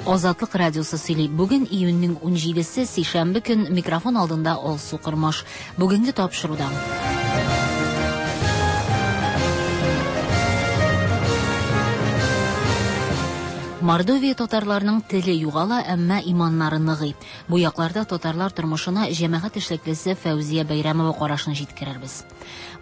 Азатлык радиосы сөйли. Бүген июньнең 17-се, сишәмбе көн, микрофон алдында Алсу Кормаш. Бүгенге тапшыруда. Мордовия татарларының теле югала, әмма иманнары ныгый. Бу якларда татарлар тормышына җәмәгать эшлеклесе Фәүзия Бәйрәмова карашын җиткерербез.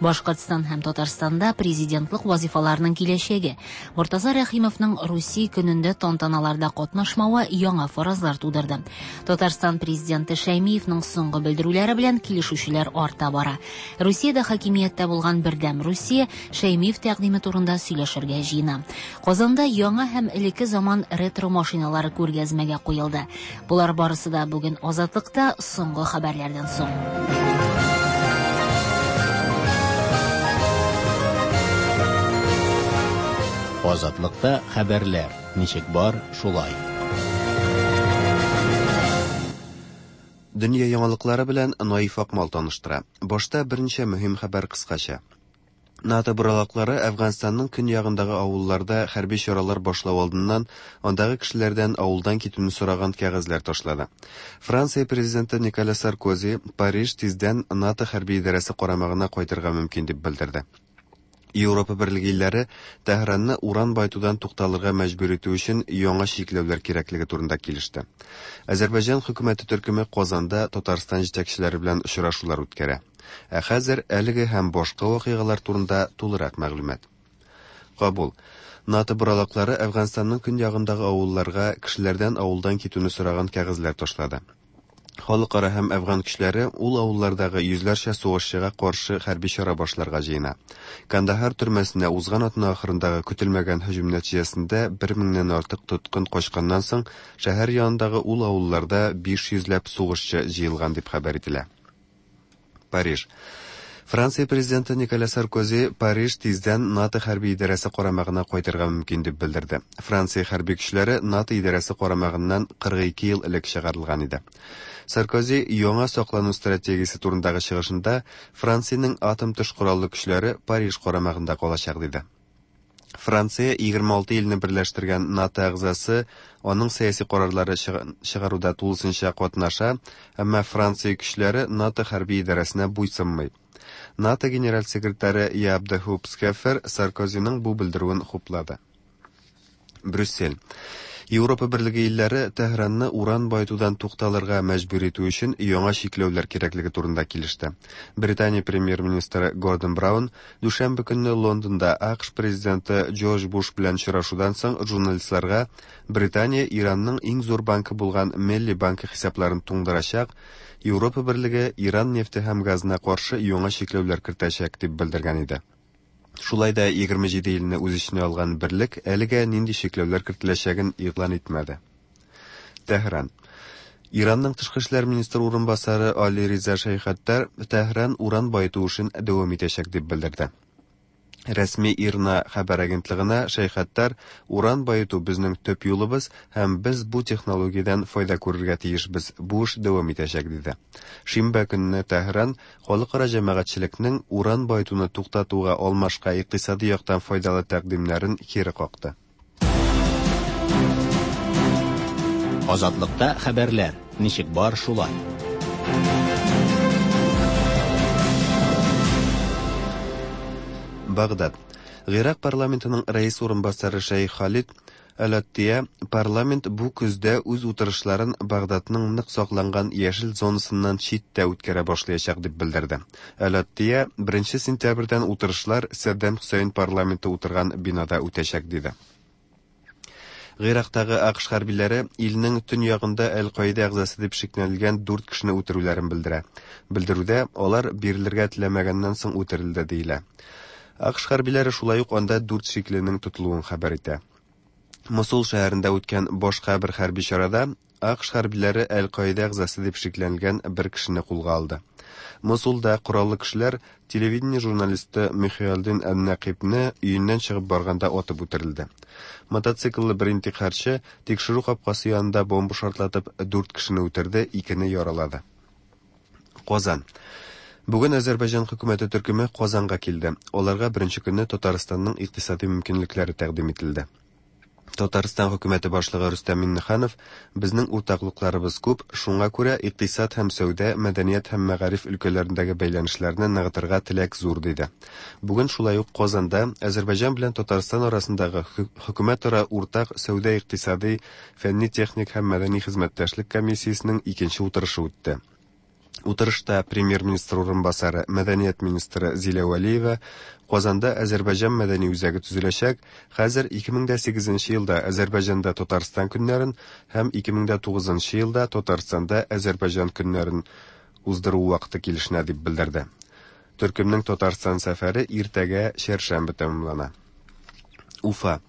Башкортстан һәм Татарстанда президентлык вазифаларының киләчәге. Мортаза Рәхимовның Русия көнендә тантаналарда катнашмавы яңа фаразлар тудырды. Татарстан президенты Шәймиевның соңгы белдерүләре белән килешүчеләр арта бара. Русиядә хакимияттә булган Бердәм Русия Шәймиев тәкъдиме турында сөйләшергә җыена. Казанда яңа һәм элекке заман ретро машиналары күргәзмәгә куелды. Болар барысы да бүген Азатлыкта соңгы хәбәрләрдән соң. Азатлыкта хәбәрләр ничек бар, шулай. Дөнья яңалыклары белән Наиф Акмал таныштыра. Башта берничә мөһим хәбәр кыскача. НАТО боралаклары Әфганстанның көньягындагы авылларда хәрби чаралар башлау алдыннан андагы кешеләрдән авылдан китүне сораган кәгазьләр ташлады. Франция президенты Николя Саркози Париж тиздән НАТО хәрби идарәсе карамагына кайтырга мөмкин дип белдерде. Европа берлеге илләре Тәһранны уран баетудан тукталырга мәҗбүр итү өчен яңа чикләүләр кирәклеге турында килеште. Азәрбайҗан хөкүмәте төркеме Казанда Татарстан җитәкчеләре белән очрашулар үткәрә. Ә хәзер әлеге һәм башка вакыйгалар турында тулырак мәгълүмат. Кабул. НАТО боралаклары Әфганстанның көньягындагы авылларга кешеләрдән авылдан китүне сораган кәгазьләр ташлады. Халыкара һәм әфган көчләре ул авыллардагы йөзләрчә сугышчыга каршы хәрби чара башларга җыена. Кандахар төрмәсенә узган атна ахырындагы көтелмәгән һөҗүм нәтиҗәсендә бер меңнән артык тоткын качканнан соң шәһәр янындагы ул авылларда 500 ләп сугышчы җыелган дип хәбәр ителә. Париж. Франция президенты Николя Саркози Париж тиздән НАТО хәрби идарәсе карамагына кайтырга мөмкин дип белдерде. Франция хәрби көчләре НАТО идарәсе карамагыннан 42 ел элек чыгарылган иде. Саркози яңа саклану стратегиясе турындагы чыгышында Франциянең атом төш кораллы көчләре Париж карамагында калачак диде. Франция 26 илне берләштергән НАТО әгъзасы, аның сәяси карарлары чыгаруда тулысынча катнаша, әмма Франция көчләре НАТО хәрби идарәсенә буйсынмый. НАТО генераль секретаре Яап де Хуп Схефер Саркозиның бу белдерүен хуплады. Брюссель. Европа берлеге илләре Тәһранны уран баетудан тукталырга мәҗбүр итү өчен яңа чикләүләр кирәклеге турында килеште. Британия премьер-министры Гордон Браун дүшәмбе көнне Лондонда АКШ президенты Джордж Буш белән очрашудан соң журналистларга Британия Иранның иң зур банкы булган Мелли банкы хисапларын туңдырачак, Европа берлеге Иран нефте һәм газына каршы яңа чикләүләр кертәчәк дип белдергән иде. Шулай да 27 илне үз эченә алган берлек әлегә нинди чикләүләр кертеләчәген игълан итмәде. Тәһран. Иранның тышкы эшләр министры урынбасары Али Риза Шәйхаттар Тәһран уран баету эшен дәвам итәчәк дип белдерде. Рәсми ИРНА хәбәр агентлыгына Шәйхаттар уран баету безнең төп юлыбыз һәм без бу технологиядән файда күрергә тиешбез, бу эш дәвам итәчәк диде. Шимбә көнне Тәһран халыкара җәмәгатьчелекнең уран баетуны туктатуга алмашка икътисади яктан файдалы тәкъдимнәрен кире какты. Азатлыкта хәбәрләр ничек бар, шулай. Багдад. Гыйрак парламентының рәис урынбасары Шәйх Халид Әл-Аттия парламент бу көздә үз утырышларын Багдадның нык сакланган яшел зонасыннан читтә үткәрә башлаячак дип белдерде. Әл-Аттия 1 сентябрьдән утырышлар Сәддам Хөсәен парламенты утырган бинада үтәчәк диде. Гыйрактагы АКШ хәрбиләре илнең төньягында Әл-Каида әгъзасы дип шикләнелгән дүрт кешене үтерүләрен белдерә. Белдерүдә алар бирелергә теләмәгәннән соң үтерелде диелә. АКШ хәрбиләре шулай ук анда дүрт шикленең тотылуын хәбәр итә. Мосул шәһәрендә үткән башка бер хәрби чарада АКШ хәрбиләре Әл-Каида әгъзасы дип шикләнелгән бер кешене кулга алды. Мосулда кораллы кешеләр телевидение журналисты Михиалдин Ән-Нәкыйбне өеннән чыгып барганда атып үтерелде. Мотоцикллы бер интихарчы тикшерү капкасы янында бомба шартлатып дүрт кешене үтерде, икене яралады. Казан. Бүген Азәрбайҗан хөкүмәте төркеме Казанга килде. Аларга беренче көнне Татарстанның икътисади мөмкинлекләре тәкъдим ителде. Татарстан хөкүмәте башлыгы Рөстәм Миңнеханов, Безнең уртаклыкларыбыз күп, шуңа күрә икътисад һәм сәүдә, мәдәният һәм мәгариф өлкәләрендәге бәйләнешләрне ныгытырга теләк зур, диде. Бүген шулай ук Казанда Азәрбайҗан белән Татарстан арасындагы хөкүмәтара уртак сәүдә-икътисадый, фәнни-техник һәм мәдәни хезмәттәшлек комиссиясенең икенче утырышы үтте. Утырышта премьер-министр урынбасары, мәдәният министры Зилә Вәлиева Казанда Азәрбайҗан мәдәни үзәге төзеләчәк, хәзер 2008 нче елда Азәрбайҗанда Татарстан көннәрен һәм 2009 нчы елда Татарстанда Азәрбайҗан көннәрен уздыру вакыты килешенә дип белдерде. Төркемнең Татарстан сәфәре иртәгә, чәршәмбе тәмамлана. Уфа.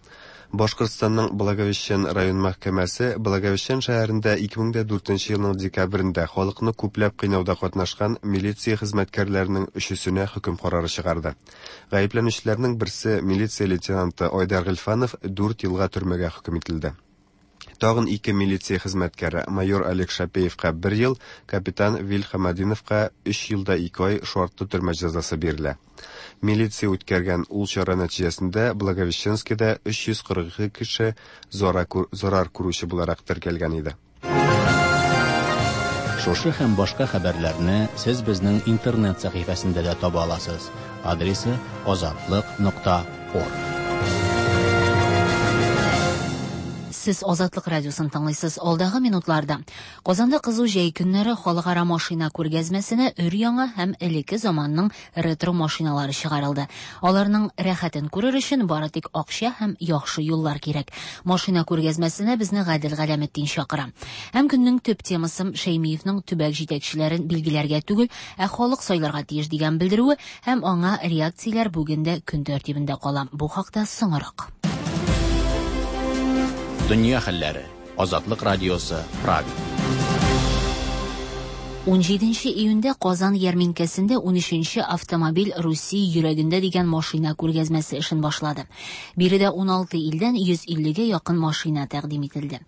Башкортстанның Благовещен район мәхкәмәсе Благовещен шәһәрендә 2004 елның декабрендә халыкны күпләп кыйнауда катнашкан милиция хезмәткәрләренең өчесенә хөкем карары чыгарды. Гаепләнүчеләрнең берсе, милиция лейтенанты Айдар Гыйльфанов дүрт елга төрмәгә хөкем ителде. Тагын ике милиция хезмәткәре, майор Олег Шапеевка бер ел, капитан Вил Хамадиновка өч ел да ике ай шартлы төрмә җәзасы бирелә. Милиция үткәргән ул чара нәтиҗәсендә Благовещенскида 342 кеше зарар күрүче буларак теркәлгән иде. Шушы һәм башка хәбәрләрне сез безнең интернет сәхифәсендә дә таба аласыз. Адресы азатлык нокта орг. Сез Азатлык радиосын тыңлыйсыз. Алдагы минутларда Казанда кызу җәй көннәре халыкара машина күргәзмәсенә өр-яңа һәм элекке заманның ретро машиналары чыгарылды. Аларның рәхәтен күрер өчен бары тик акча һәм яхшы юллар кирәк. Машина күргәзмәсенә безне Гадел Галәметдин чакыра. Һәм көннең төп темасы Шәймиевның төбәк җитәкчеләрен билгеләргә түгел, ә халык сайларга тиеш дигән белдерүе һәм аңа реакцияләр бүген дә көн тәртибендә кала. Бу хакта соңрак. Дөнья хәлләре. Азатлык радиосы, Прага. 17 июньдә Казан ярминкәсендә 13 автомобиль Русия йөрәгендә дигән машина күргәзмәсе эшен башлады. Биредә 16 илдән 150 гә якын машина тәкъдим ителде.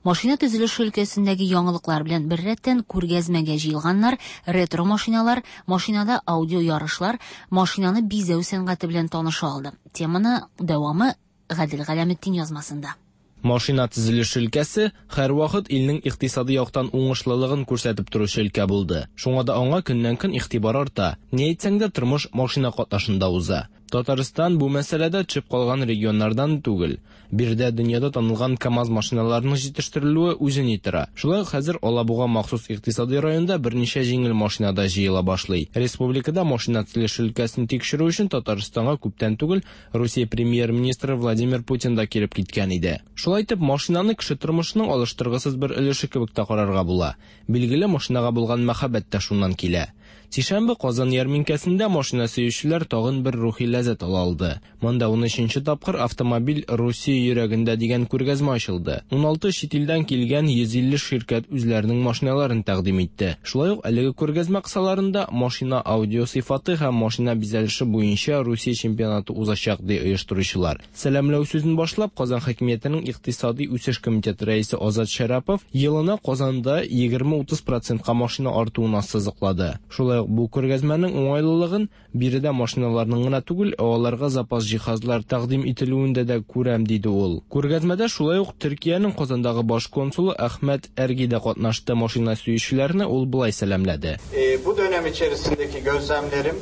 Машина төзелеше өлкәсендәге яңалыклар белән беррәттән күргәзмәгә җыелганнар ретро машиналар, машинада аудио ярышлар, машинаны бизәү сәнгате белән таныша алды. Теманы дәвамы Гадел Галәметдин язмасында. Машина төзелеше өлкәсе һәрвакыт илнең икътисади яктан уңышлылыгын күрсәтеп торучы өлкә булды. Шуңа да аңа көннән-көн игътибар арта. Ни әйтсәң дә, тормыш машина катнашында уза. Татарстан бу мәсьәләдә төшеп калган регионнардан түгел. Биредә дөньяда танылган КАМАЗ машиналарының җитештерелүе үзе ни тора. Шулай ук хәзер Алабуга махсус икътисади районында берничә җиңел машина да җыела башлый. Республикада машина төзелеше өлкәсен тикшерү өчен Татарстанга күптән түгел Русия премьер-министры Владимир Путин да килеп киткән иде. Шулай итеп, машинаны кеше тормышының алыштыргысыз бер өлеше кебек тә карарга була. Билгеле, машинага булган мәхәббәт тә шуннан килә. Сишәмбе Казан ярминкәсендә машина сөючеләр тагын бер рухи ләззәт ала алды. Монда унөченче тапкыр Автомобиль Русия йөрәгендә дигән күргәзмә ачылды. Уналты чит илдән килгән 150 ширкәт үзләренең машиналарын тәкъдим итте. Шулай ук әлеге күргәзмә кысаларында машина аудио сыйфаты һәм машина бизәлеше буенча Русия чемпионаты узачак, ди оештыручылар. Сәламләү сүзен башлап, Казан хакимиятенең икътисади үсеш комитеты рәисе Азат Шәрапов елына Казанда 20-30 процентка машина артуын ассызыклады. Шулай ук бу күргәзмәнең уңайлылыгын биредә машиналарның гына түгел, ә аларга запас җиһазлар тәкъдим ителүендә дә күрәм, диде ул. Күргәзмәдә шулай ук Төркиянең Казандагы баш консулы Әхмәт Әрги дә катнашты. Машина сөючеләрне ул болай сәламләде. Бу dönem içerisindeki gözlemlerim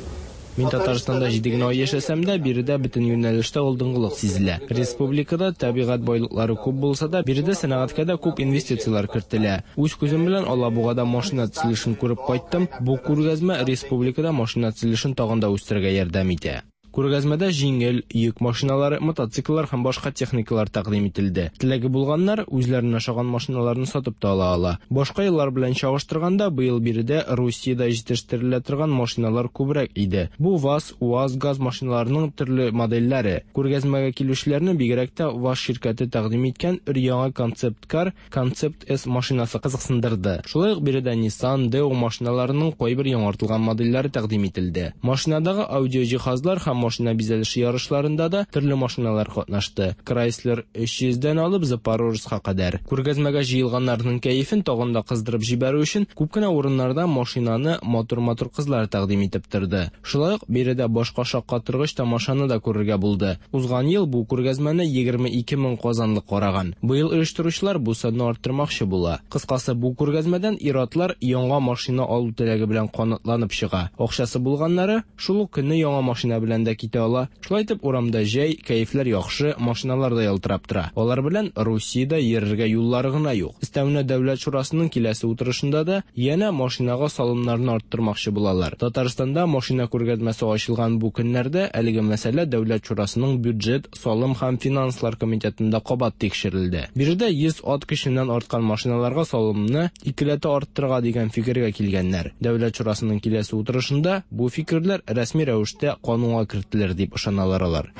Мин Татарстанда җиде генә ай яшәсәм дә, биредә бөтен юнәлештә алдынгылык сизелә. Республикада табигать байлыклары күп булса да, биредә сәнәгатькә дә күп инвестицияләр кертелә. Үз күзем белән Алабугада машина төзелешен күреп кайттым. Бу күргәзмә республикада машина төзелешен тагын да үстерергә ярдәм итә. Күргәзмәдә җиңел, йөк машиналары, мотоцикллар һәм башка техникалар тәкъдим ителде. Теләге булганнар үзләренә ошаган машиналарны сатып та ала ала. Башка еллар белән чагыштырганда, быел биредә Русиядә җитештерелә торган машиналар күбрәк иде. Бу ВАЗ, УАЗ, ГАЗ машиналарының төрле модельләре. Күргәзмәгә килүчеләрне бигрәк тә ВАЗ ширкәте тәкъдим иткән өр-яңа концепт-кар Concept S машинасы кызыксындырды. Шулай ук биредә Nissan, Daewoo машиналарының кайбер яңартылган модельләре тәкъдим ителде. Машинадагы аудио җиһазлар һәм машина бизәлеше ярышларында да төрле машиналар катнашты. Крайслер 300 дән алып Запорожецка кадәр. Күргәзмәгә җыелганнарның кәефен тагын да кыздырып җибәрү өчен күп кенә урыннарда машинаны матур-матур кызлар тәкъдим итеп торды. Шулай ук биредә башка шаккатыргыч тамашаны да күрергә булды. Узган ел бу күргәзмәне 22 мең казанлы караган. Быел оештыручылар бу санны арттырмакчы була. Кыскасы, бу күргәзмәдән ир-атлар яңа машина алу теләге белән канатланып чыга. Акчасы булганнары шул ук көнне яңа машина белән дә китә ала. Шулай итеп, урамда җәй, кәефләр яхшы, машиналар да ялтырап тора. Алар белән Русиядә йөрергә юллары гына юк. Өстәвенә Дәүләт шурасының киләсе утырышында да янә машинага салымнарны арттырмакчы булалар. Татарстанда машина күргәзмәсе ачылган бу көннәрдә әлеге мәсьәлә Дәүләт шурасының бюджет, салым һәм финанслар комитетында кабат тикшерелде. Биредә 100 ат көченнән арткан машиналарга салымны икеләтә арттырырга дигән фикергә килгәннәр. Дәүләт шурасының киләсе утырышында бу фикерләр рәсми рәвештә канунга кертелер дип ышаналар алар.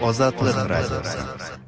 Азатлык радиосы.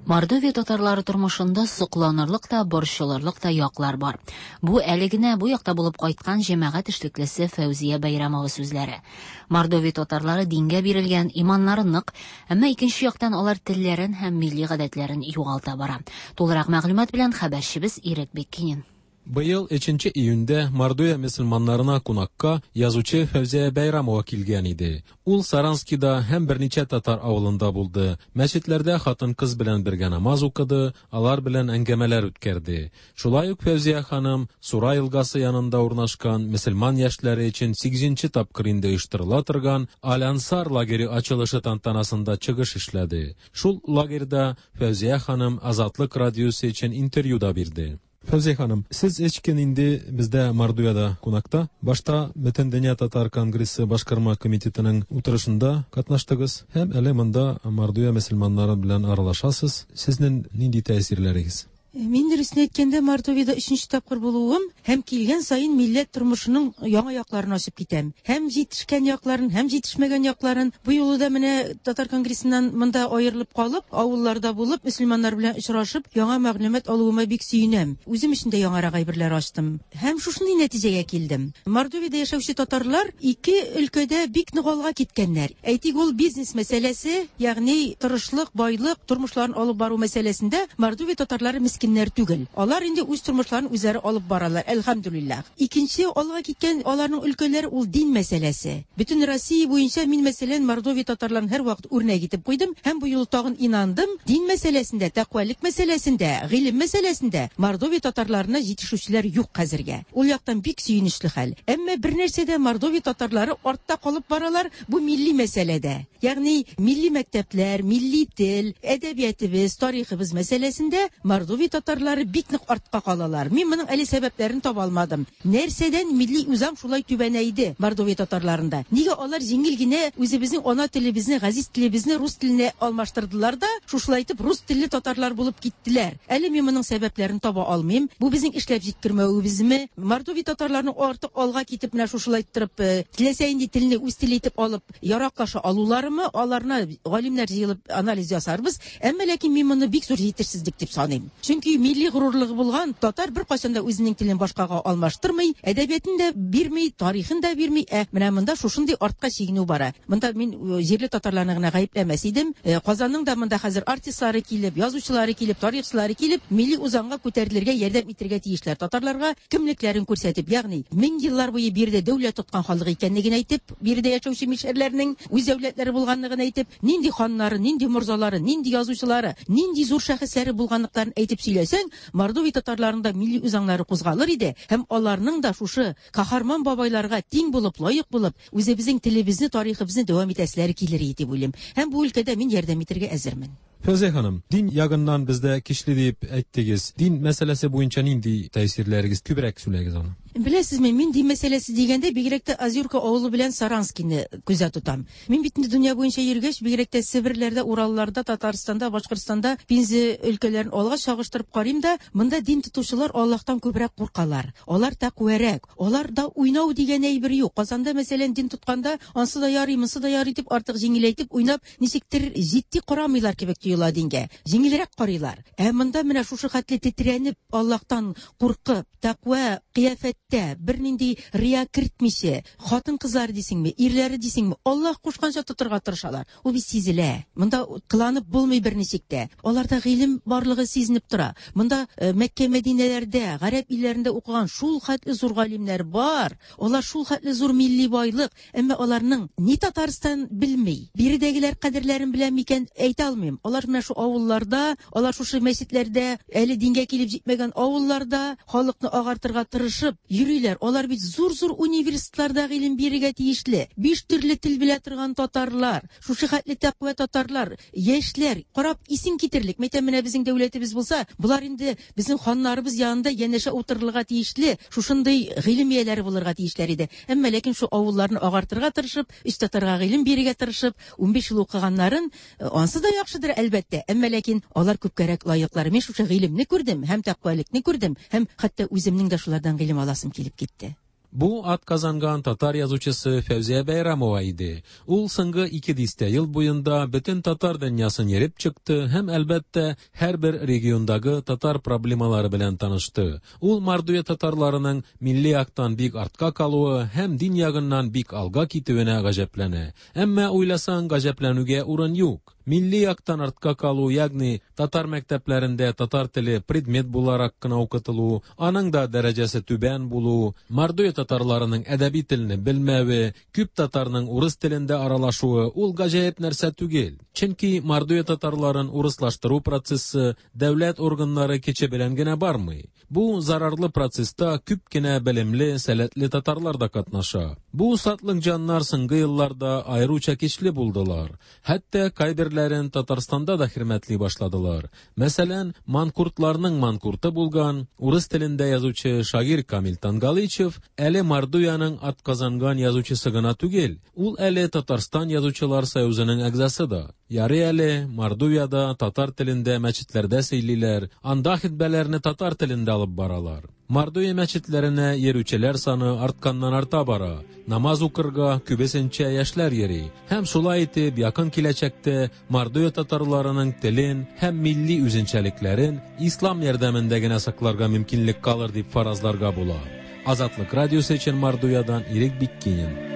Мордовия татарлары тормышында сокланырлык та, борчылырлык та яклар бар. Бу әле генә бу якта булып кайткан җәмәгать эшлеклесе Фәүзия Бәйрәмова сүзләре. Мордовия татарлары дингә бирелгән, иманнары нык, әмма икенче яктан алар телләрен һәм милли гадәтләрен югалта бара. Тулырак мәгълүмат белән хәбәрчебез Ирек Беккинин. Быел 3 июньдә Мордовия мөселманнарына кунакка язучы Фәүзия Бәйрамова килгән иде. Ул Саранскида һәм берничә татар авылында булды. Мәчетләрдә хатын-кыз белән бергә намаз укыды, алар белән әңгәмәләр үткәрде. Шулай ук Фәүзия ханым Сура елгасы янында урнашкан мөселман яшьләре өчен 8 тапкыр инде оештырыла торган Аль-Ансар лагере ачылышы тантанасында чыгыш эшләде. Шул лагерьда Фәүзия ханым Азатлык радиосы өчен интервью да бирде. Фәүзия ханым, сез өч көн инде бездә Мордовиядә кунакта. Башта Бөтендөнья татар конгрессы башкарма комитетының утырышында катнаштыгыз һәм әле монда Мордовия мөселманнары белән аралашасыз. Сезнең нинди тәэсирләрегез? Мин дөресен әйткәндә, Мордовиядә өченче тапкыр булуым һәм килгән саен милләт тормышының яңа якларын ачып китәм. Һәм җитешкән якларын, һәм җитешмәгән якларын. Бу юлы да менә татар конгрессыннан монда аерылып калып, авылларда булып, мөселманнар белән очрашып, яңа мәгълүмат алуыма бик сөенәм. Үзем өчен дә яңарак әйберләр ачтым. Һәм шушындый нәтиҗәгә килдем. Мордовиядә яшәүче татарлар ике өлкәдә бик нык алга киткәннәр. Әйтик, ул бизнес мәсьәләсе, ягъни тырышлык, байлык, тормышларын алып бару мәсьәләсендә Мордовия татарлары мескеннәр түгел. Алар инде үз тормышларын үзләре алып баралар, әлхәмдүлилләһ. Икенче алга киткән аларның өлкәләре ул дин мәсьәләсе. Бөтен Россия буенча мин, мәсәлән, Мордовия татарларын һәрвакыт үрнәк итеп куйдым һәм бу юлы тагын инандым, дин мәсьәләсендә, тәкъвалык мәсьәләсендә, гыйлем мәсьәләсендә Мордовия татарларына җитешүчеләр юк хәзергә. Ул яктан бик сөенечле хәл. Әмма бер нәрсәдә Мордовия татарлары артта калып баралар, бу милли мәсьәләдә. Ягъни милли мәктәпләр, милли тел, әдәбиятыбыз, тарихыбыз мәсьәләсендә Мордовия татарлары бик нык артка калалар. Мин моның әле сәбәпләрен таба алмадым. Нәрсәдән милли үзаң шулай түбәнәйде Мордовия татарларында? Нигә алар җиңел генә үзебезнең ана телебезне, газиз телебезне рус теленә алмаштырдылар да, шушылай итеп рус телле татарлар булып киттеләр? Әле мин моның сәбәпләрен таба алмыйм. Бу безнең эшләп җиткермәвебезме? Мордовия татарларының артык алга китеп менә шушылай иттереп, теләсә нинди телне үз теле итеп алып яраклаша алуларымы? Аларны галимнәр җыелып анализ ясарбыз. Әмма ләкин мин моны бик зур җитешсезлек дип саныйм. Чөнки милли горурлыгы булган татар беркайчан да үзенең телен башкага алмаштырмый, әдәбиятын да бирми, тарихын да бирми. Ә менә монда шушындый артка чигенү бара. Монда мин җирле татарларны гына гаепләмәс идем. Казанның да монда хәзер артистлары килеп, язучылары килеп, тарихчылары килеп, милли үзаңга күтәрелергә ярдәм итәргә тиешләр. Татарларга кемлекләрен күрсәтеп, ягъни мең еллар буе биредә дәүләт тоткан халык икәнлеген әйтеп, биредә яшәүче мишәрләрнең үз дәүләтләре булганлыгын әйтеп, нинди ханнары, нинди морзалары, нинди язучылары, нинди зур шәхесләре булганлыкларын әйтеп сөйләсәң, Мордовия татарларында милли үзаңнары кузгалыр иде һәм аларның да шушы каһарман бабайларга тиң булып, лаек булып, үзебезнең телебезне, тарихыбызны дәвам итәселәре килер иде дип уйлыйм. Һәм бу өлкәдә мин ярдәм итәргә әзермен. Фәүзия ханым, дин ягыннан бездә көчле дип әйттегез. Дин мәсьәләсе буенча нинди тәэсирләрегез? Күбрәк сөйләгез аны. Беләсезме, мин дин мәсьәләсе дигәндә бигрәк тә Азюрка авылы белән Саранскийны күздә тотам. Мин бит инде дөнья буенча йөргәч, бигрәк тә Себерләрдә, Уралларда, Татарстанда, Башкортстанда, Пенза өлкәләрен алга чагыштырып карыйм да, монда дин тотучылар Аллаһтан күбрәк куркалар. Алар тәкъвәрәк. Аларда уйнау дигән әйбер юк. Казанда, мәсәлән, дин тотканда, ансы да ярый, монсы да ярый дип артык җиңеләйтеп уйнап, ничектер җитди карамыйлар кебек тоела дингә. Җиңелрәк карыйлар. Ә монда менә шушы хәтле тетрәнеп, Аллаһтан куркып, тәкъва кыяфәттә Тә, бернинди рия кертмичә, хатын-кызлары дисеңме, ирләре дисеңме, Аллаһ кушканча тотырга тырышалар. Ул бит сизелә. Монда кыланып булмый берничек тә. Аларда гыйлем барлыгы сизенеп тора. Монда Мәккә, Мәдинәләрдә, гарәп илләрендә укыган шул хәтле зур галимнәр бар. Алар шул хәтле зур милли байлык. Әмма аларның ни Татарстан белми, биредәгеләр кадерләрен белә микән, әйтә алмыйм. Алар менә шул авылларда, алар шушы мәчетләрдә, әле дингә килеп җитмәгән авылларда халыкны агартырга тырышып йөриләр. Алар бит зур-зур университетларда гыйлем бирергә тиешле. Биш төрле тел белә торган татарлар, шушы хәтле тәкъва татарлар, яшьләр, карап исең китерлек. Мәйтәм, менә безнең дәүләтебез булса, болар инде безнең ханнарыбыз янында янәшә утырырга тиешле, шушындый гыйлем ияләре булырга тиешләр иде. Әмма ләкин шул авылларны агартырга тырышып, өч татарга гыйлем бирергә тырышып, 15 ел укыганнарын, ансы да яхшыдыр, әлбәттә, әмма ләкин алар күпкәрәк лаеклар. Мин шушы гыйлемне күрдем һәм тәкъвалекне күрдем, һәм хәтта үземнең дә шулардан гыйлем аласым килеп китте. Бу атказанган татар язучысы Фәүзия Бәйрамова иде. Ул соңгы ике дистә ел буенда бөтен татар дөньясын йөреп чыкты һәм, әлбәттә, һәрбер региондагы татар проблемалары белән танышты. Ул Мордовия татарларының милли яктан бик артка калуы һәм дин ягыннан бик алга китүенә гаҗәпләнә. Әмма уйласаң, гаҗәпләнүгә урын юк. Милли яктан артка калу, ягъни татар мәктәпләрендә татар теле предмет буларак кына укытылу, аның да дәрәҗәсе түбән булу, Мордовия татарларының әдәби телне белмәве, күп татарның урыс телендә аралашуы ул гаҗәеп нәрсә түгел. Чөнки Мордовия татарларын урыслаштыру процессы дәүләт органнары көче белән генә бармый. Бу зарарлы процесста күп кенә белемле, сәләтле татарлар да катнаша. Бу сатлык җаннар соңгы елларда аеруча көчле булдылар. Хәтта кайберләрен Татарстанда да хөрмәтли башладылар. Мәсәлән, манкуртларның манкурты булган, урыс телендә язучы Шагыйрь Камил Тангалычев әле Мордовиянең атказанган язучысы гына түгел, ул әле Татарстан язучылар союзының әгъзасы да. Ярый әле Мордовиядә татар телендә мәчетләрдә сөйлиләр, анда хитбәләрне татар телендә алып баралар. Мордовия мәчетләренә йөрүчеләр саны артканнан арта бара. Намаз укырга күбесенчә яшьләр йөри. Һәм шулай итеп, якын киләчәктә Мордовия татарларының телен һәм милли үзенчәлекләрен ислам ярдәмендә генә сакларга мөмкинлек калыр дип фаразларга була. Азатлык радиосы өчен Мордовиядан Ирек Биккинин.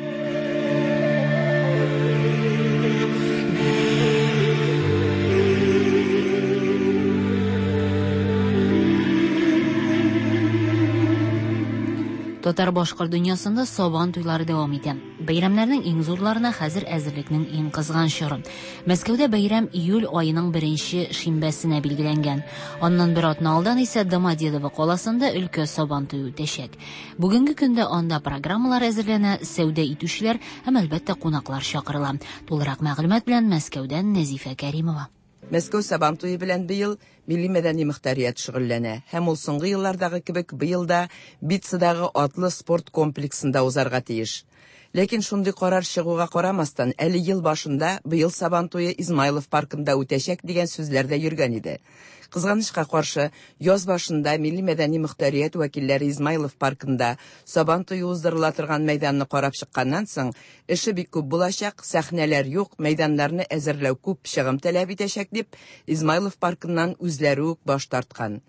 Татар-башкорт дөньясында Сабан туйлары дәвам итә. Бәйрәмнәрнең иң зурларына хәзер әзерлекнең иң кызган чоры. Мәскәүдә бәйрәм июль аеның беренче шимбәсенә билгеләнгән. Аннан бер атна алдан исә Домодедово каласында өлкә Сабан туе үтәчәк. Бүгенге көндә анда программалар әзерләнә, сәүдә итүчеләр һәм, әлбәттә, кунаклар чакырыла. Тулырак мәгълүмат белән Мәскәүдән Нәзифә Кәримова. Мәскәү Сабан туе белән быел милли мәдәни мөхтәрият шөгыльләнә һәм ул соңгы еллардагы кебек быел да Битцадагы атлы спорт комплексында узарга тиеш. Ләкин шундый карар чыгуга карамастан, әле ел башында быел Сабан туе Измайлов паркында үтәчәк дигән сүзләр дә йөргән иде. Кызганычка каршы, яз башында милли мәдәни мөхтәрият вәкилләре Измайлов паркында Сабан туе уздырыла торган мәйданны карап чыкканнан соң, эше бик күп булачак, сәхнәләр юк, мәйданнарны әзерләү күп чыгым таләп итәчәк дип, Измайлов паркыннан үзләре үк баш тарткан.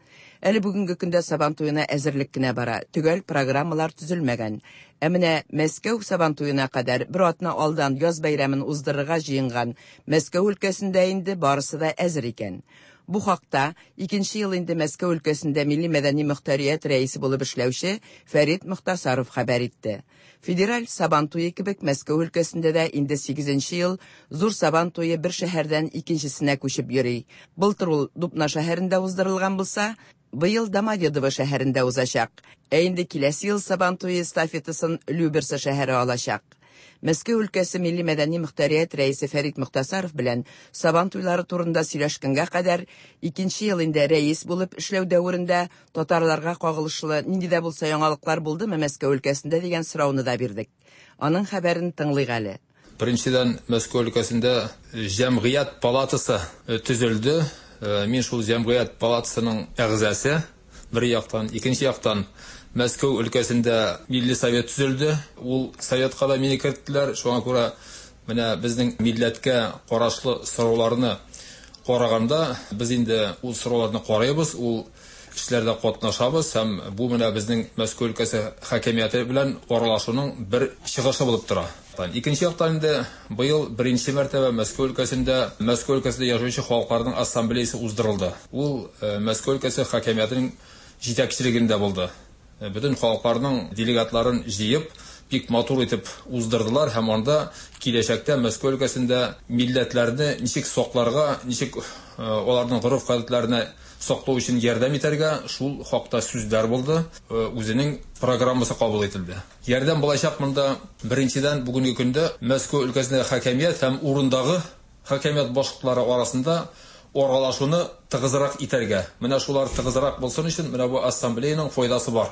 Әле бүгенге көндә Сабан туена әзерлек кенә бара, төгәл программалар төзелмәгән. Ә менә Мәскәү Сабан туена кадәр бер атна алдан яз бәйрәмен уздырырга җыенган Мәскәү өлкәсендә инде барысы да әзер икән. Бу хакта икенче ел инде Мәскәү өлкәсендә милли мәдәни мөхтәрият рәисе булып эшләүче Фәрит Мөхтасаров хәбәр итте. Федераль Сабан туе кебек Мәскәү өлкәсендә дә инде 8 ел зур Сабан туе бер шәһәрдән икенчесенә күчеп йөри. Былтыр ул Дубна шәһәрендә уздырылган булса, быел Домодедово шәһәрендә узачак. Ә инде киләсе ел Сабан туе эстафетасын Люберцы шәһәре алачак. Мәскәү өлкәсе милли мәдәни мөхтәрият рәисе Фәрит Мөхтасаров белән Сабан туйлары турында сөйләшкәнгә кадәр икенче ел инде рәис булып эшләү дәверендә татарларга кагылышлы нинди дә булса яңалыклар булдымы Мәскәү өлкәсендә дигән сорауны да бирдек. Аның хәбәрен тыңлыйк әле. Беренчедән, Мәскәү өлкәсендә җәмгыять палатасы төзелде. Мин шул җәмгыять палатасының әгъзасы. Бер яктан, икенче яктан Мәскәү өлкәсендә милли совет төзелде. Ул советка да мине керттеләр. Шуңа күрә менә безнең милләткә карашлы сорауларны караганда, без инде ул сорауларны карыйбыз, ул эшләрдә катнашабыз һәм бу менә безнең Мәскәү өлкәсе хакимияте белән аралашуның бер чыгышы булып тора. Икенче яктан инде быел беренче мәртәбә Мәскәү өлкәсендә Мәскәү өлкәсендә яшәүче халыкларның ассамблеясы уздырылды. Ул Мәскәү өлкәсе хакимиятенең җитәкчелегендә булды. Бөтен халыкларның делегатларын җыеп, бик матур итеп уздырдылар һәм анда киләчәктә Мәскәү өлкәсендә милләтләрне ничек сакларга, ничек аларның гореф-гадәтләренә саклау өчен ярдәм итәргә, шул хакта сүзләр булды, үзенең программасы кабул ителде. Ярдәм булачак монда беренчедән бүгенге көндә Мәскәү өлкәсендәге хакимият һәм урындагы хакимият башлыклары арасында аралашуны тыгызрак итәргә. Менә шулар тыгызрак булсын өчен менә бу ассамблеяның файдасы бар.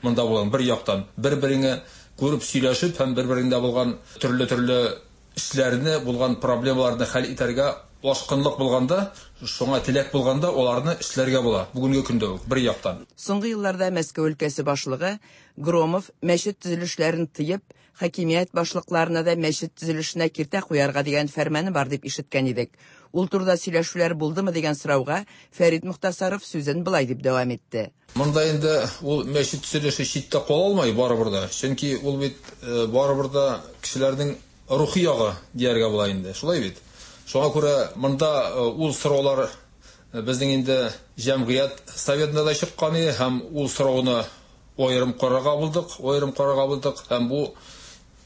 Монда булган бер яктан бер-береңә күреп сөйләшеп һәм бер-береңдә булган төрле-төрле эшләрне, булган проблемаларны хәл итәргә ашкынлык булганда, шуңа теләк булганда аларны эшләргә була. Бүгенге көндә үк бер яктан. Соңгы елларда Мәскәү өлкәсе башлыгы Громов мәчет төзелешләрен тыеп, хакимият башлыкларына да мәчет төзелешенә киртә куярга дигән фәрманы бар дип ишеткән идек. Ул турыда сөйләшүләр булдымы дигән сорауга Фәрит Мөхтәсаров сүзен былай дип дәвам итте. Монда инде ул мәчет төзелеше читтә кала алмый барыбер дә. Чөнки ул бит барыбер да кешеләрнең рухи ягы дияргә була инде. Шулай бит. Шуңа күрә монда ул сораулар безнең инде җәмгыять советында да чыккан иде һәм ул сорауны аерым карарга булдык, аерым карарга булдык һәм бу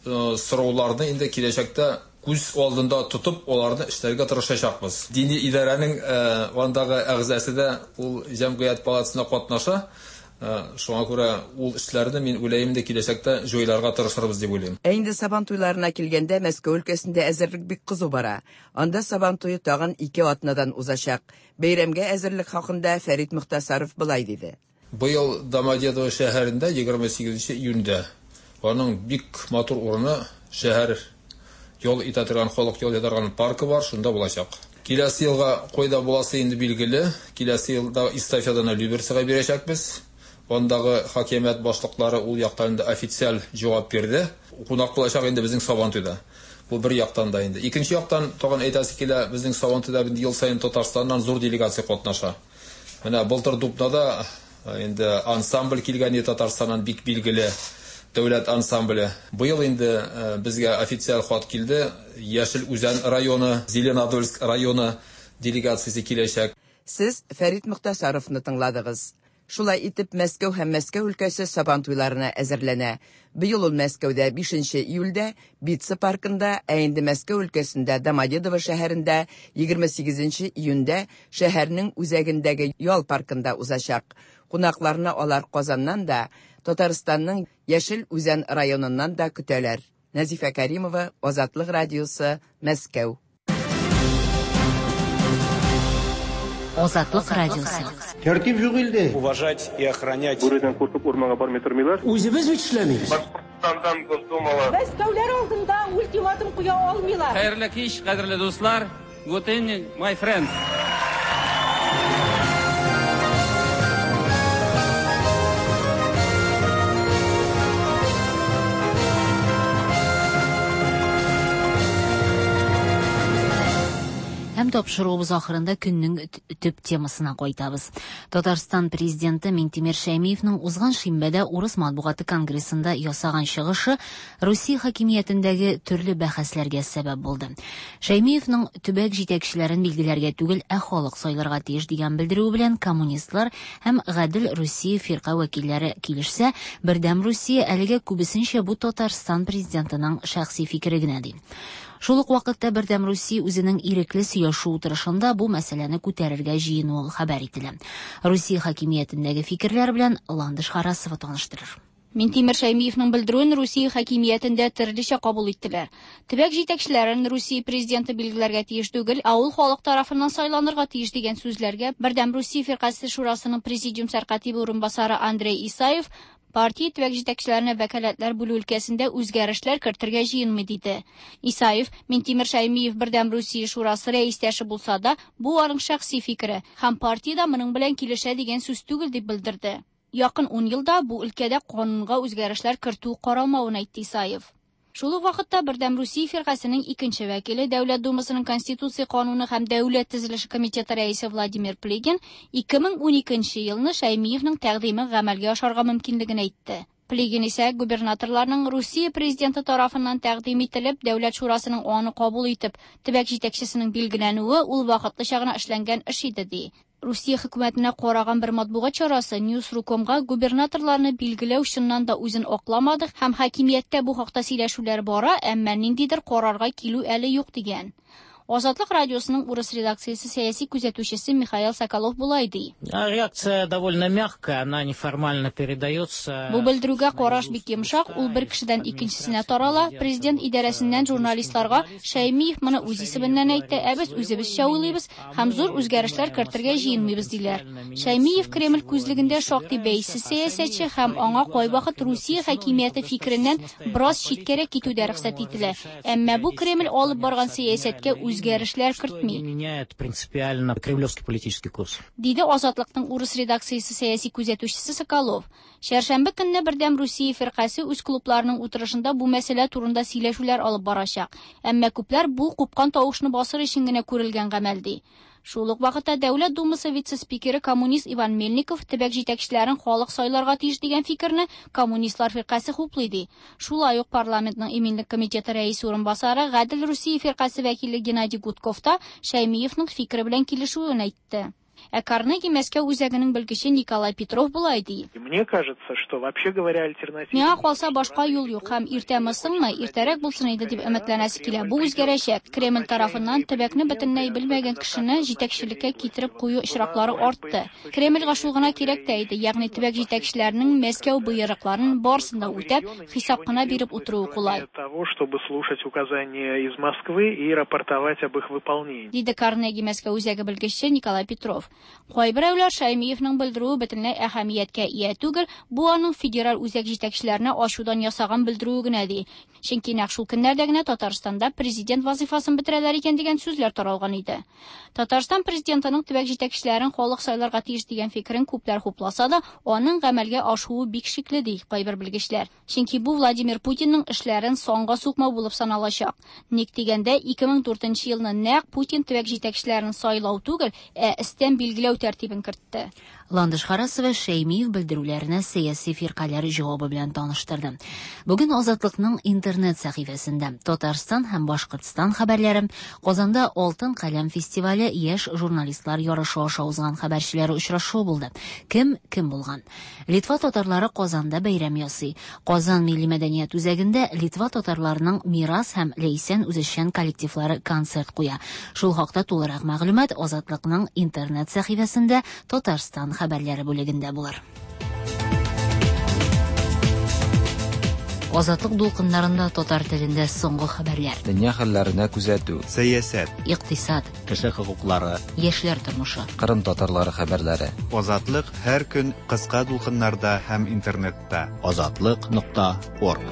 сорауларны инде киләчәктә күз алдында тотып, аларны эшләргә тырышачакбыз. Дини идарәнең андагы әгъзасы да ул җәмгыять палатасында катнаша. Шуңа күрә ул эшләрне мин уйлыйм инде киләчәктә җайларга тырышырбыз дип уйлыйм. Ә инде Сабан туйларына килгәндә Мәскәү өлкәсендә әзерлек бик кызу бара. Анда Сабан туе тагын 2 атнадан узачак. Бәйрәмгә әзерлек хакында Фәрит Мөхтәсаров былай диде. Быел Домодедово шәһәрендә 28 июньдә аның бик матур урыны шәһәр ял итә торган, халык ял итә торган паркы бар, шунда булачак. Киләсе елга кайда буласы инде билгеле. Киләсе елда эстафетаны Люберцега бирәчәкбез. Андагы хакимият башлыклары ул яктан инде официаль җавап бирде. Кунак булачак инде безнең Сабантуйда. Бу бер яктан да инде. Икенче яктан тагын әйтәсе килә, безнең Сабантуйда инде ел саен Татарстаннан зур делегация катнаша. Менә былтыр Дубнада инде ансамбль килгән иде Татарстаннан, бик билгеле дәүләт ансамбле. Быел инде безгә официаль хат килде. Яшел Үзән районы, Зеленодольск районы делегациясе киләчәк. Сез Фәрит Мөхтәсаровны тыңладыгыз. Шулай итеп Мәскәү һәм Мәскәү өлкәсе Сабан туйларына әзерләнә. Быел ул Мәскәүдә 5 июльдә Битца паркында, ә инде Мәскәү өлкәсендә Домодедово шәһәрендә 28 июньдә шәһәрнең үзәгендәге ял паркында узачак. Кунакларны алар Казаннан да, Татарстанның Яшел Үзән районыннан да көтәләр. Нәзифә Каримова, Азатлык радиосы, Мәскәү. Азатлык радиосы. Тәртип юк илдә. Уважать и охранять. Бүредән куркып урманга бармый тормыйлар. Үзебез бит эшләмибез. Башкортстандан Госдумала. Мәскәүләр алдында ультиматум куя алмыйлар. Хәерле кич, кадерле дуслар. Good evening, my friends. Һәм тапшыруыбыз ахырында көннең төп темасына кайтабыз. Татарстан президенты Минтимер Шәймиевның узган шимбәдә Урыс матбугаты конгрессында ясаган чыгышы Русия хакимиятендәге төрле бәхәсләргә сәбәп булды. Шәймиевның төбәк җитәкчеләрен билгеләргә түгел, ә халык сайларга тиеш дигән белдерүе белән коммунистлар һәм Гадел Русия фирка вәкилләре килешсә, Бердәм Русия әлегә күбесенчә бу Татарстан президентының шәхси фикере генә ди. Шул ук вакытта Бердәм Русия үзенең ирекле сөйләшү утырышында бу мәсьәләне күтәрергә җыенуы хәбәр ителә. Русия хакимиятендәге фикерләр белән Ландыш Харасова таныштырыр. Минтимер Шәймиевның белдерүен Русия хакимиятендә төрлечә кабул иттеләр. Төбәк җитәкчеләрен Русия президенты билгеләргә тиеш түгел, ә ул халык тарафыннан сайланырга тиеш дигән сүзләргә Бердәм Русия фиркасе шурасының президиум сәркатибе урынбасары Андрей Исаев партия төбәк җитәкчеләренә вәкаләтләр бүлү өлкәсендә үзгәрешләр кертергә җыенмый диде. Исаев Минтимер Шәймиев Бердәм Русия шурасы рәистәше булса да, бу аның шәхси фикере һәм партия моның белән килешә дигән сүз түгел дип белдерде. Якын 10 елда бу өлкәдә канунга үзгәрешләр кертү каралмавын әйтте Исаев. Шул ук вакытта Бердәм Русия фиркасенең икенче вәкиле, Дәүләт Думасының Конституция кануны һәм дәүләт төзелеше комитеты рәисе Владимир Плигин 2012 елны Шәймиевнең тәкъдиме гамәлгә ашарга мөмкинлеген әйтте. Плигин исә губернаторларның Русия президенты тарафыннан тәкъдим ителеп, Дәүләт шурасының аны кабул итеп, төбәк җитәкчесенең билгеләнүе ул вакытлыча гына эшләнгән эш иде, ди. Русия хөкүмәтенә караган бер матбугат чарасы Newsru.comга губернаторларны билгеләү чыннан да үзен акламады һәм хакимияттә бу хакта сөйләшүләр бара, әмма ниндидер карарга килү әле юк дигән. Азатлык радиосының урыс редакциясе сәяси күзәтүчесе Михаил Соколов болай ди. Реакция довольно мягкая, она неформально передается. Бу белдерүгә караш бик йомшак, ул бер кешедән икенчесенә тарала. Президент идарәсеннән журналистларга Шәймиев моны үз исеменнән әйтте, ә без үзебезчә уйлыйбыз һәм зур үзгәрешләр кертергә җыенмыйбыз диләр. Шәймиев Кремль күзлегендә шактый бәйсез сәясәтче һәм аңа кайвакыт Русия хакимияте фикереннән бераз читкәрәк китү дә рөхсәт ителә. Әмма бу Кремль алып барган сәясәткә үзгәрешләр кертми. Меняет принципиально кремлевский политический курс. Диде Азатлыкның урыс редакциясе сәяси күзәтүчесе Соколов. Чәршәмбе көнне Бердәм Русия фиркасе үз клубларының утырышында бу мәсьәлә турында сөйләшүләр алып барачак. Әмма күпләр бу купкан тавышны басыр өчен генә күрелгән гамәл ди. Шул ук вакытта Дәүләт Думасы вице-спикеры коммунист Иван Мельников төбәк җитәкчеләрен халык сайларга тиеш дигән фикерне коммунистлар фиркасе хуплый ди. Шулай ук парламентның иминлек комитеты рәисе урынбасары Гадел Русия фиркасе вәкиле Геннадий Гудков та Шәймиевның фикере белән килешүен әйтте. Ә Карнеги Мәскәү үзәгенең белгече Николай Петров болай ди. Мне кажется, что вообще говоря альтернатива... Миңа калса башка юл юк һәм иртәме соңмы, иртәрәк булсын иде дип өметләнәсе килә. Бу үзгәрәчәк. Кремль тарафыннан төбәкне бөтенләй белмәгән кешене җитәкчелеккә китереп кую очраклары артты. Кремльгә шул гына кирәк тә иде, ягъни төбәк җитәкчеләренең Мәскәү боерыкларын барысын да үтәп, хисап кына биреп утыруы кулай. Того, чтобы слушать указания из Москвы и рапортовать об их выполнении. Диде Карнеги Мәскәү үзәге белгече Николай Петров. Кайберәүләр Шәймиевның белдерүе бөтенләй әһәмияткә ия түгел, бу аның федераль үзәк җитәкчеләренә ачудан ясаган белдерүе генә ди. Чөнки нәкъ шул көннәрдә генә Татарстанда президент вазифасын бетерәләр икән дигән сүзләр таралган иде. Татарстан президентының төбәк җитәкчеләрен халык сайларга тиеш дигән фикерен күпләр хупласа да, аның гамәлгә ашуы бик шикле ди кайбер белгечләр. Чөнки бу Владимир Путинның эшләрен санга сукмау булып саналачак. Ник дигәндә 2004 елны нәкъ Путин төбәк җитәкчеләрен сайлау түгел, ә өстән билгеләү тәртибен кертте. Ландыш Харасова Шәймиев белдерүләренә сәяси фиркаләр җавабы белән таныштырды. Бүген Азатлыкның интернет сәхифәсендә Татарстан һәм Башкортстан хәбәрләре, Казанда Алтын каләм фестивале яшь журналистлар ярышы аша узган хәбәрчеләре очрашуы булды. Кем кем булган? Литва татарлары Казанда бәйрәм ясый. Казан милли мәдәният үзәгендә Литва татарларының Мирас һәм Ләйсән үзешчән коллективлары концерт куя. Шул хакта тулырак мәгълүмат Азатлыкның интернет сәхифәсендә Татарстан хәбәрләре бүлегендә булыр. Азатлык дулкыннарында татар телендә соңгы хәбәрләр. Дөнья хәлләренә күзәтү. Сәясәт. Икътисад. Кеше хокуклары. Яшьләр тормышы. Кырым татарлары хәбәрләре. Азатлык һәр көн кыска дулкыннарда һәм интернетта. Азатлык.орг.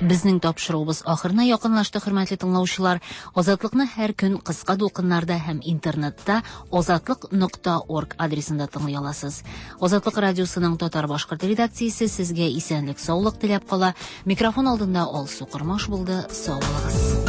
Безнең тапшыруыбыз ахырына якынлашты, хөрмәтле тыңлаучылар. Азатлыкны һәр көн кыска дулкыннарда һәм интернетта azatliq.org адресында тыңлый аласыз. Азатлык радиосының татар-башкорт редакциясе сезгә исәнлек, саулык теләп кала. Микрофон алдында Алсу Кормаш булды. Сау булыгыз.